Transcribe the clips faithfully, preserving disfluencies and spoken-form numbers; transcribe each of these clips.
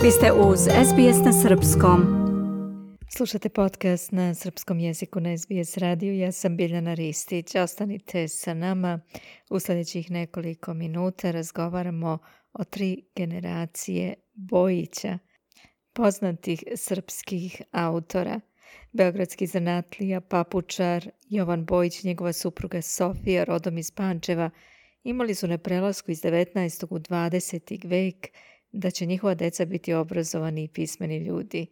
Vi ste uz es be es na srpskom. Slušate podcast na srpskom jeziku na es be es radiju. Ja sam Biljana Ristić. Ostanite sa nama. U sljedećih nekoliko minuta razgovaramo o tri generacije Bojića, poznatih srpskih autora. Beogradski zanatlija, papučar Jovan Bojić, njegova supruga Sofija, rodom iz Pančeva, imali su na prelasku iz devetnaestog u dvadeseti vek da će njihova deca biti obrazovani i pismeni ljudi.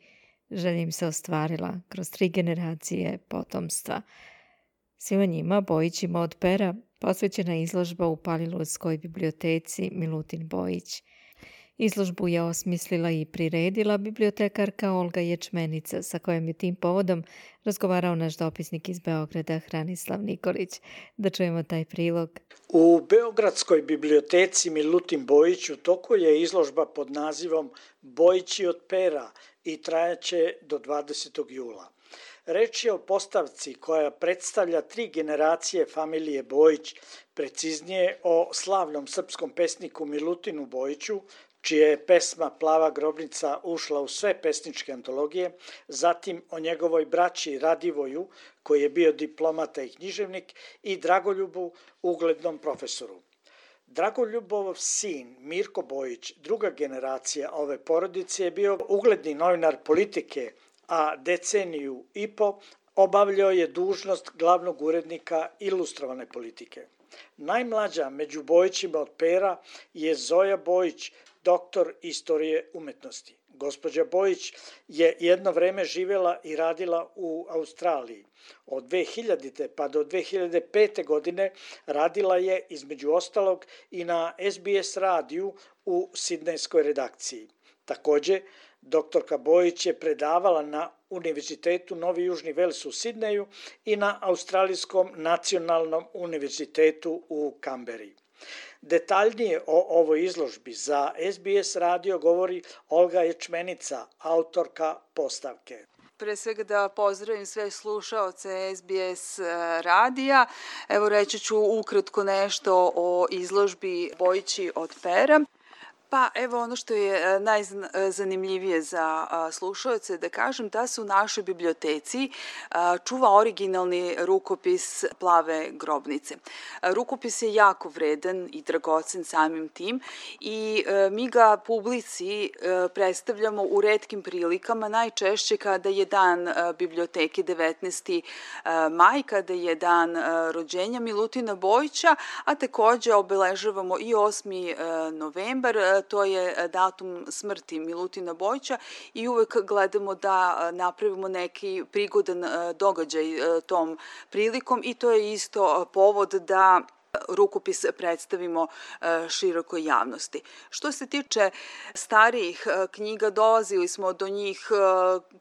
Želja im se ostvarila kroz tri generacije potomstva. Svima njima, Bojićima od pera, posvećena izložba u Palilulskoj biblioteci Milutin Bojić. Izložbu je osmislila i priredila bibliotekarka Olga Ječmenica, sa kojom je tim povodom razgovarao naš dopisnik iz Beograda Hranislav Nikolić. Da čujemo taj prilog. U Beogradskoj biblioteci Milutin Bojić u toku je izložba pod nazivom Bojići od pera i trajaće do dvadesetog jula. Reč je o postavci koja predstavlja tri generacije familije Bojić, preciznije o slavnom srpskom pesniku Milutinu Bojiću, čija je pesma Plava grobnica ušla u sve pesničke antologije, zatim o njegovoj braći Radivoju, koji je bio diplomata i književnik, i Dragoljubu, uglednom profesoru. Dragoljubov sin Mirko Bojić, druga generacija ove porodice, je bio ugledni novinar Politike, a deceniju i po obavljao je dužnost glavnog urednika Ilustrovane Politike. Najmlađa među Bojićima od pera je Zoja Bojić, doktor istorije umetnosti. Gospođa Bojić je jedno vreme živjela i radila u Australiji. Od dve hiljadite pa do dve hiljade pete. godine radila je između ostalog i na es be es radiju u sidnejskoj redakciji. Također, doktorka Bojić je predavala na Univerzitetu Novi Južni Vels u Sidneju i na Australijskom nacionalnom univerzitetu u Kamberi. Detaljnije o ovoj izložbi za es be es radio govori Olga Ječmenica, autorka postavke. Pre svega da pozdravim sve slušaoce es be es radija. Evo reći ću ukratko nešto o izložbi Bojići od pera. Pa evo ono što je najzanimljivije za slušaoce da kažem da se u našoj biblioteci čuva originalni rukopis Plave grobnice. Rukopis je jako vredan i dragocen samim tim i mi ga publici predstavljamo u retkim prilikama, najčešće kada je dan biblioteke devetnaesti maj, kada je dan rođenja Milutina Bojića, a takođe obeležavamo i osmi novembar, to je datum smrti Milutina Bojića i uvek gledamo da napravimo neki prigodan događaj tom prilikom i to je isto povod da rukopis predstavimo širokoj javnosti. Što se tiče starijih knjiga, dolazili smo do njih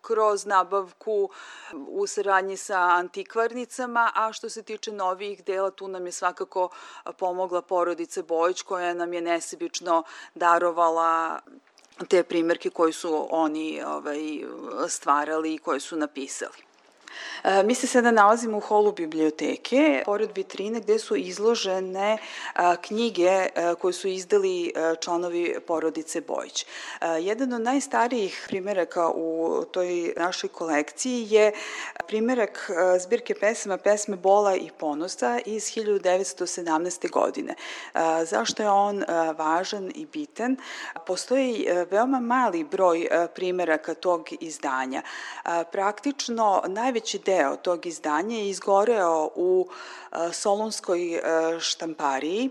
kroz nabavku u saradnji sa antikvarnicama, a što se tiče novijih dela, tu nam je svakako pomogla porodica Bojić, koja nam je nesebično darovala te primerke koje su oni ovaj, stvarali i koje su napisali. Mi se sada nalazimo u holu biblioteke, pored vitrine gde su izložene knjige koje su izdali članovi porodice Bojić. Jedan od najstarijih primeraka u toj našoj kolekciji je primerak zbirke pesama Pesme bola i ponosa iz hiljadu devetsto sedamnaeste. godine. Zašto je on važan i bitan? Postoji veoma mali broj primeraka tog izdanja. Praktično najveći deo tog izdanja je izgoreo u Solunskoj štampariji.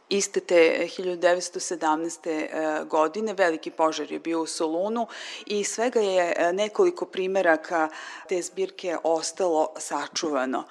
Iste te hiljadu devetsto sedamnaeste. godine veliki požar je bio u Solunu i svega je nekoliko primeraka te zbirke ostalo sačuvano.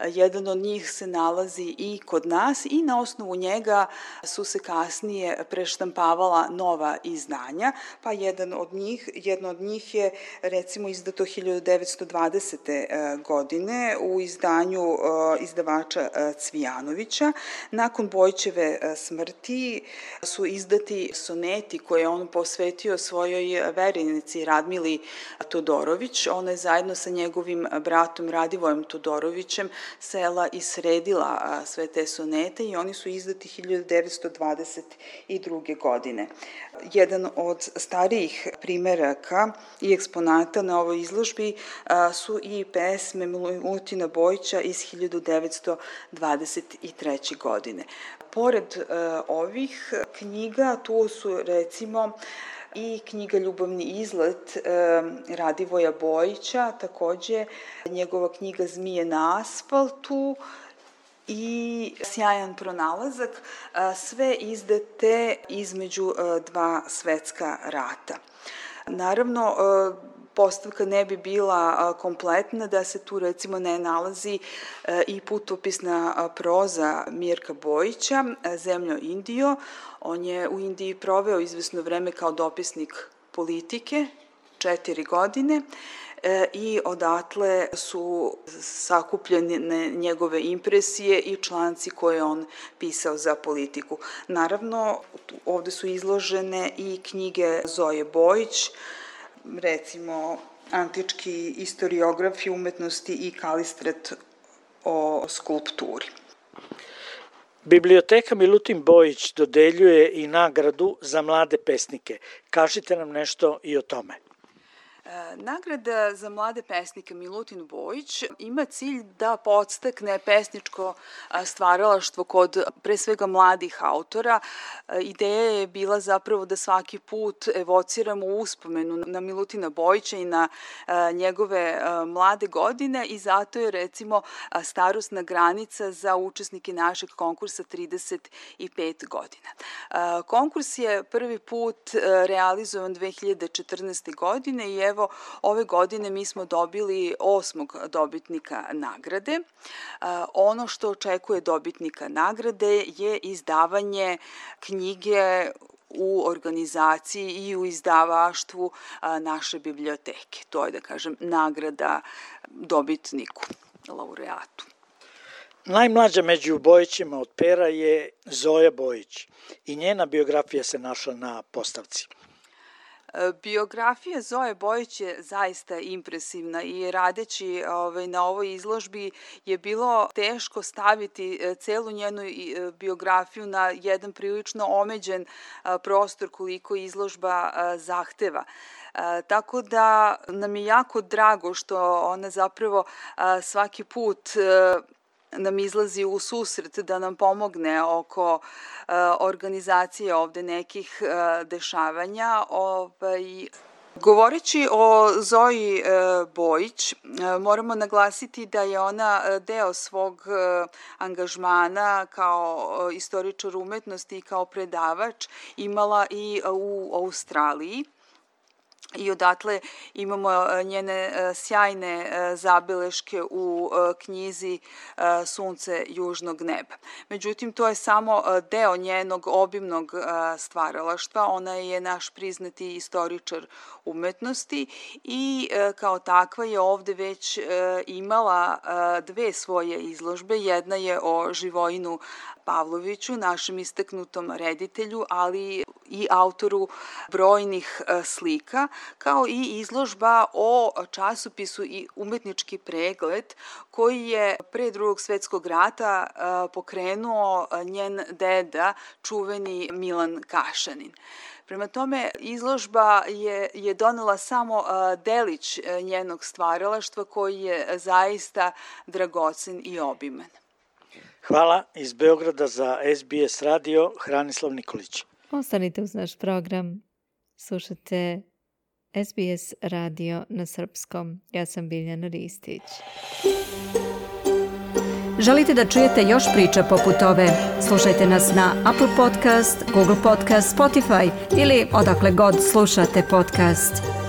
Jedan od njih se nalazi i kod nas i na osnovu njega su se kasnije preštampavala nova izdanja, pa jedan od njih, jedno od njih je recimo izdato hiljadu devetsto dvadesete. godine u izdanju izdavača Cvijanovića. Nakon Bojićeve smrti su izdati soneti koje je on posvetio svojoj verenici Radmili Todorović. Ona je zajedno sa njegovim bratom Radivojem Todorovićem sela i sredila sve te sonete i oni su izdati hiljadu devetsto dvadeset druge. godine. Jedan od starijih primeraka i eksponata na ovoj izložbi su i pesme Milutina Bojića iz hiljadu devetsto dvadeset treće. godine. Pored ovih knjiga tu su recimo i knjiga Ljubavni izlet Radivoja Bojića, takođe njegova knjiga Zmije na asfaltu i Sjajan pronalazak, sve izdate između dva svetska rata. Naravno, postavka ne bi bila kompletna da se tu recimo ne nalazi i putopisna proza Mirka Bojića, Zemljo Indijo. On je u Indiji proveo izvesno vreme kao dopisnik politike, četiri godine, i odatle su sakupljene njegove impresije i članci koje on pisao za politiku. Naravno, ovde su izložene i knjige Zoje Bojić, recimo antički istoriografi umetnosti i Kalistret o skulpturi. Biblioteka Milutin Bojić dodeljuje i nagradu za mlade pesnike. Kažite nam nešto i o tome. Nagrada za mlade pesnike Milutin Bojić ima cilj da podstakne pesničko stvaralaštvo kod pre svega mladih autora. Ideja je bila zapravo da svaki put evociramo uspomenu na Milutina Bojića i na njegove mlade godine i zato je recimo starosna granica za učesnike našeg konkursa trideset pet godina. Konkurs je prvi put realizovan dve hiljade četrnaeste. godine i evo ove godine mi smo dobili osmog dobitnika nagrade. Ono što očekuje dobitnika nagrade je izdavanje knjige u organizaciji i u izdavaštvu naše biblioteke. To je, da kažem, nagrada dobitniku, laureatu. Najmlađa među Bojićima od Pera je Zoja Bojić i njena biografija se našla na postavci. Biografija Zoje Bojić je zaista impresivna i radeći ovaj, na ovoj izložbi je bilo teško staviti celu njenu biografiju na jedan prilično omeđen prostor koliko izložba zahteva. Tako da nam je jako drago što ona zapravo svaki put nam izlazi u susret da nam pomogne oko uh, organizacije ovde nekih uh, dešavanja. Ovaj, govoreći o Zoji uh, Bojić, uh, moramo naglasiti da je ona deo svog uh, angažmana kao uh, istoričar umetnosti i kao predavač imala i uh, u Australiji. I odatle imamo njene sjajne zabeleške u knjizi Sunce južnog neba. Međutim, to je samo deo njenog obimnog stvaralaštva. Ona je naš priznati istoričar umetnosti i kao takva je ovde već imala dve svoje izložbe. Jedna je o Živojinu Pavloviću, našem istaknutom reditelju, ali i autoru brojnih slika, kao i izložba o časopisu i umetnički pregled koji je pre drugog svetskog rata pokrenuo njen deda, čuveni Milan Kašanin. Prema tome, izložba je, je donela samo delić njenog stvaralaštva koji je zaista dragocen i obiman. Hvala iz Beograda za S B S radio, Hranislav Nikolić. Ostanite uz naš program, slušate S B S radio na srpskom. Ja sam Biljana Ristić. Želite da čujete još priča poput ove? Slušajte nas na Apple Podcast, Google Podcast, Spotify ili odakle god slušate podcast.